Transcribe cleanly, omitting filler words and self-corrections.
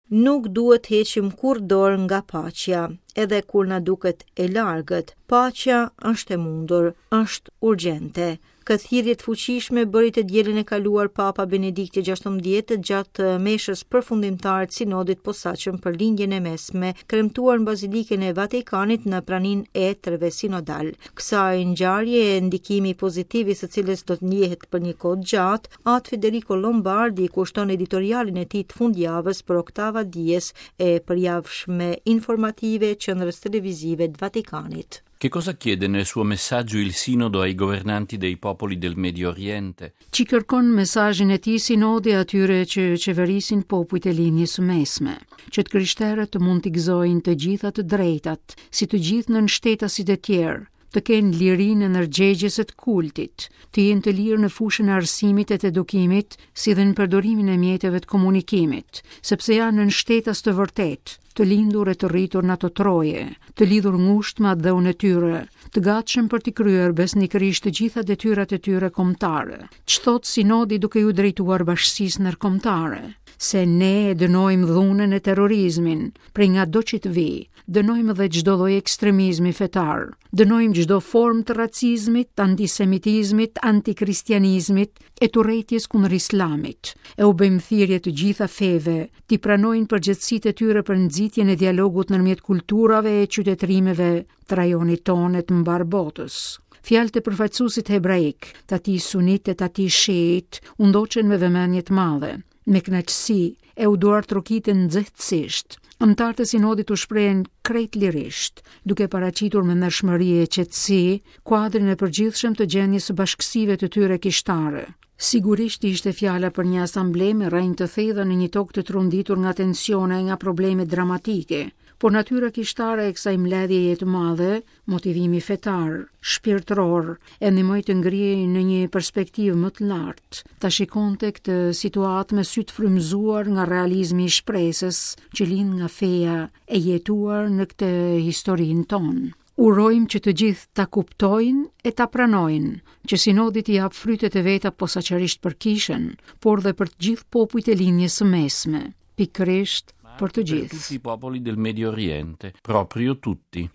Nuk duhet të heqim kurrë dorë nga paqja, edhe kur na duket e largët. Paqja është e mundur, është urgjente. Këtë thirrje të fuqishme bëri të dielën e kaluar Papa Benedikti XVI gjatë meshës përfundimtare të Sinodit të Posaçëm për Lindjen e Mesme, kremtuar në Bazilikën e Vatikanit në praninë e etërve sinodalë. Kësaj ngjarje, ndikimi pozitiv i së cilës do të ndjehet për një kohë të gjatë, Atë Federico Lombardi i kushton editorialin e tij të fundjavës për Octava Dies e përjavshme informative e Qendrës Televizive të Vatikanit. Che cosa chiede nel suo messaggio il Sinodo ai governanti dei popoli del Medio Oriente? Ç'i kërkon në mesazhin e tij Sinodi atyre që qeverisin popujt e Lindjes së Mesme, që të krishterët të mund t'i gëzojnë të gjitha të drejtat, si të gjithë nënshtetasit e tjerë, të kenë lirinë e ndërgjegjes e të kultit, të jenë të lirë në fushën e arsimit e të edukimit, si dhe në përdorimin e mjeteve të komunikimit, sepse janë nënshtetas të vërtetë, të lindur e të rritur në ato troje, të lidhur ngushtë me atdheun e tyre, të gatshëm për t'i kryer besnikërisht të gjitha detyrat e tyre kombëtare. Ç'thotë Sinodi duke iu drejtuar bashkësisë ndërkombëtare? Se ne e dënojmë dhunën e terrorizmin, prej ngado që të vijë, Dënojmë dhe çdo lloj ekstremizmi fetar. Dënojmë çdo formë të racizmit, antisemitizmit, antikristianizmit e të urrejtjes kundër islamit. E u bëjmë thirrje të gjitha feve t'i pranojnë përgjegjësitë e tyre për nxitjen e dialogut ndërmjet kulturave e qytetërimeve të rajonit tonë e të mbarë botës. Fjalët e përfaqësuesit hebraik, të atij sunit e të atij shiit, u ndoqën me vëmendje të madhe. Me kënaqësi e u duartrokitën nxehtësisht. Anëtarët e sinodit u shprehën krejt lirisht, duke paraqitur me ndershmëri e qetësi kuadrin e përgjithshëm të gjendjes së bashkësive të tyre kishtare. Sigurisht ishte fjala për një asamble me rrënjë të thella në një tokë të tronditur nga tensione e nga probleme dramatike, por natyra kishtare e kësaj mbledhjeje të madhe Motivimi fetar, shpirtëror, e ndihmoi të ngrihej në një perspektivë më të lartë, ta shikonte këtë situatë me sy të frymëzuar nga realizmi i shpresës që lind nga feja e jetuar në këtë historinë tonë. Urojmë që të gjithë ta kuptojnë e ta pranojnë, që sinodi t'i japë frytet e veta posaçërisht për kishën, por dhe për të gjithë popujt e Lindjes së Mesme, pikërisht për të gjithë. Per tutti i popoli del Medio Oriente, proprio tutti.